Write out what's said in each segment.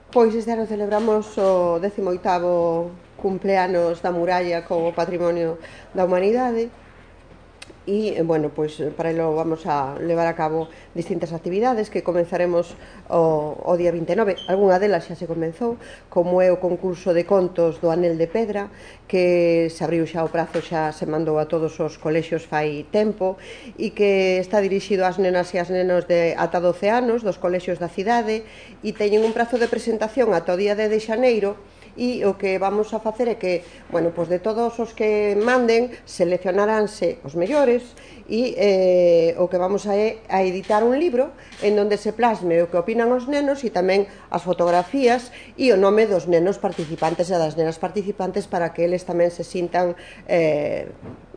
Pois este ano celebramos o 18º cumpleanos da muralla como Patrimonio da Humanidade e, bueno, pois para elo vamos a levar a cabo distintas actividades que comenzaremos o día 29. Algúna delas xa se comenzou, como é o concurso de contos do Anel de Pedra, que se abriu xa o prazo, xa se mandou a todos os colexios fai tempo, e que está dirixido ás nenas e ás nenos de ata 12 anos dos colexios da cidade, e teñen un prazo de presentación ata o día 10 de xaneiro. E o que vamos a facer é que, bueno, pois de todos os que manden, seleccionaránse os mellores e o que vamos a editar un libro en donde se plasme o que opinan os nenos e tamén as fotografías e o nome dos nenos participantes e das nenas participantes para que eles tamén se sintan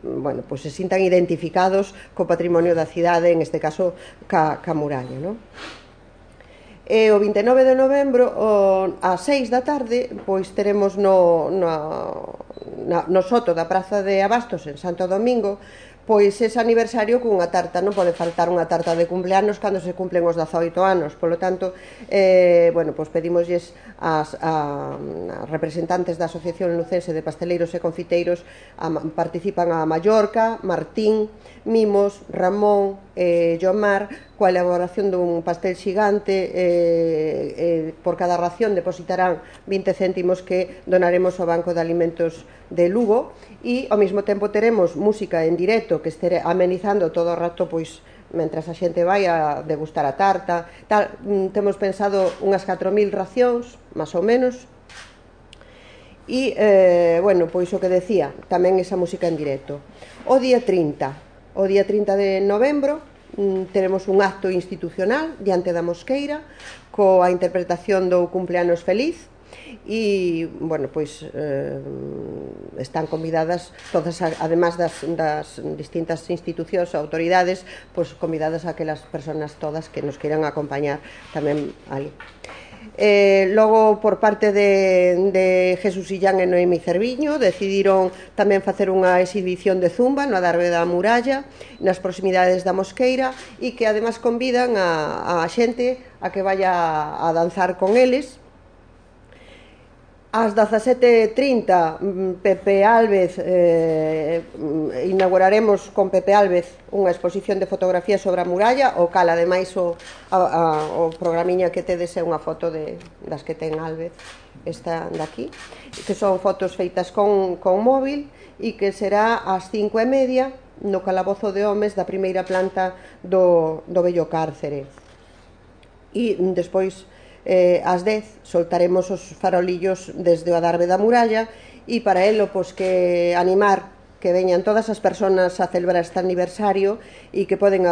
bueno, pois se sintan identificados co patrimonio da cidade, en este caso ca muralla, non? E o 29 de novembro ás 6 da tarde pois teremos no soto da Praza de Abastos en Santo Domingo pois ese aniversario cunha tarta. Non pode faltar unha tarta de cumpleanos cando se cumplen os 18 anos. Polo tanto, bueno, pois pedimosles as representantes da Asociación Lucense de Pasteleiros e Confiteiros, participan a Mallorca, Martín, Mimos, Ramón e Jomar, coa elaboración dun pastel xigante. Por cada ración depositarán 20 céntimos que donaremos ao Banco de Alimentos de Lugo, e ao mesmo tempo teremos música en directo que estere amenizando todo o rato, pois mentras a xente vai a degustar a tarta tal. Temos pensado unhas 4.000 racións, máis ou menos, e, bueno, pois o que decía, tamén esa música en directo. O día 30 de novembro teremos un acto institucional diante da Mosqueira coa interpretación do Cumpleanos Feliz e, bueno, pois están convidadas todas, además das distintas institucións ou autoridades, pois convidadas aquelas persoas todas que nos queiran acompañar tamén ali. Logo, por parte de Jesús Illán e Noemi Cerviño, decidiron tamén facer unha exhibición de zumba no adarve da muralla nas proximidades da Mosqueira e que además convidan a xente a que vaya a danzar con eles. Ás 17:30 Pepe Álvez, inauguraremos con Pepe Álvez unha exposición de fotografías sobre a muralla, o cal ademais o programiña que tedes é unha foto das que ten Álvez, esta daqui, que son fotos feitas con móvil e que será ás 5:30 no calabozo de homes da primeira planta do vello cárcere. E despois ás 10 soltaremos os farolillos desde o adarve da muralla e para elo, pois, que animar que veñan todas as persoas a celebrar este aniversario e que poden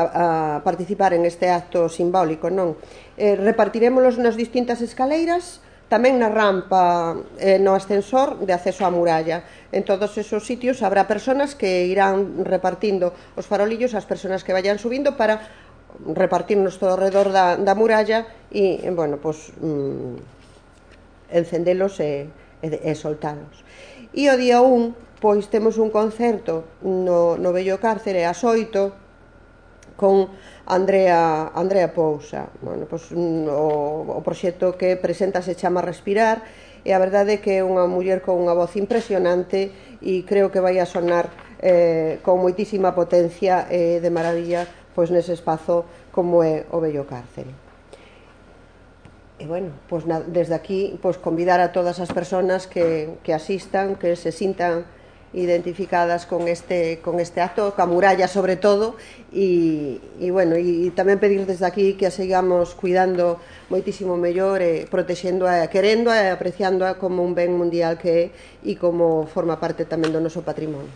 participar en este acto simbólico, non? Repartirémolos nas distintas escaleiras, tamén na rampa, no ascensor de acceso á muralla. En todos esos sitios habrá persoas que irán repartindo os farolillos ás persoas que vayan subindo para repartirnos todo ao redor da muralla e, bueno, pois encendelos e soltalos. E o día 1, pois temos un concerto no vello cárcere ás 8 con Andrea Pousa. Bueno, pois o proxecto que presenta se chama Respirar e a verdade é que é unha muller con unha voz impresionante e creo que vai a sonar con moitísima potencia e de maravilla pois nese espazo como é o vello cárcere. E, bueno, pois desde aquí pois convidar a todas as persoas que asistan, que se sintan identificadas con este acto, ca muralla sobre todo, e, bueno, e tamén pedir desde aquí que a sigamos cuidando moitísimo mellor, protexendo-a, querendo-a e apreciando-a como un ben mundial que é e como forma parte tamén do noso patrimonio.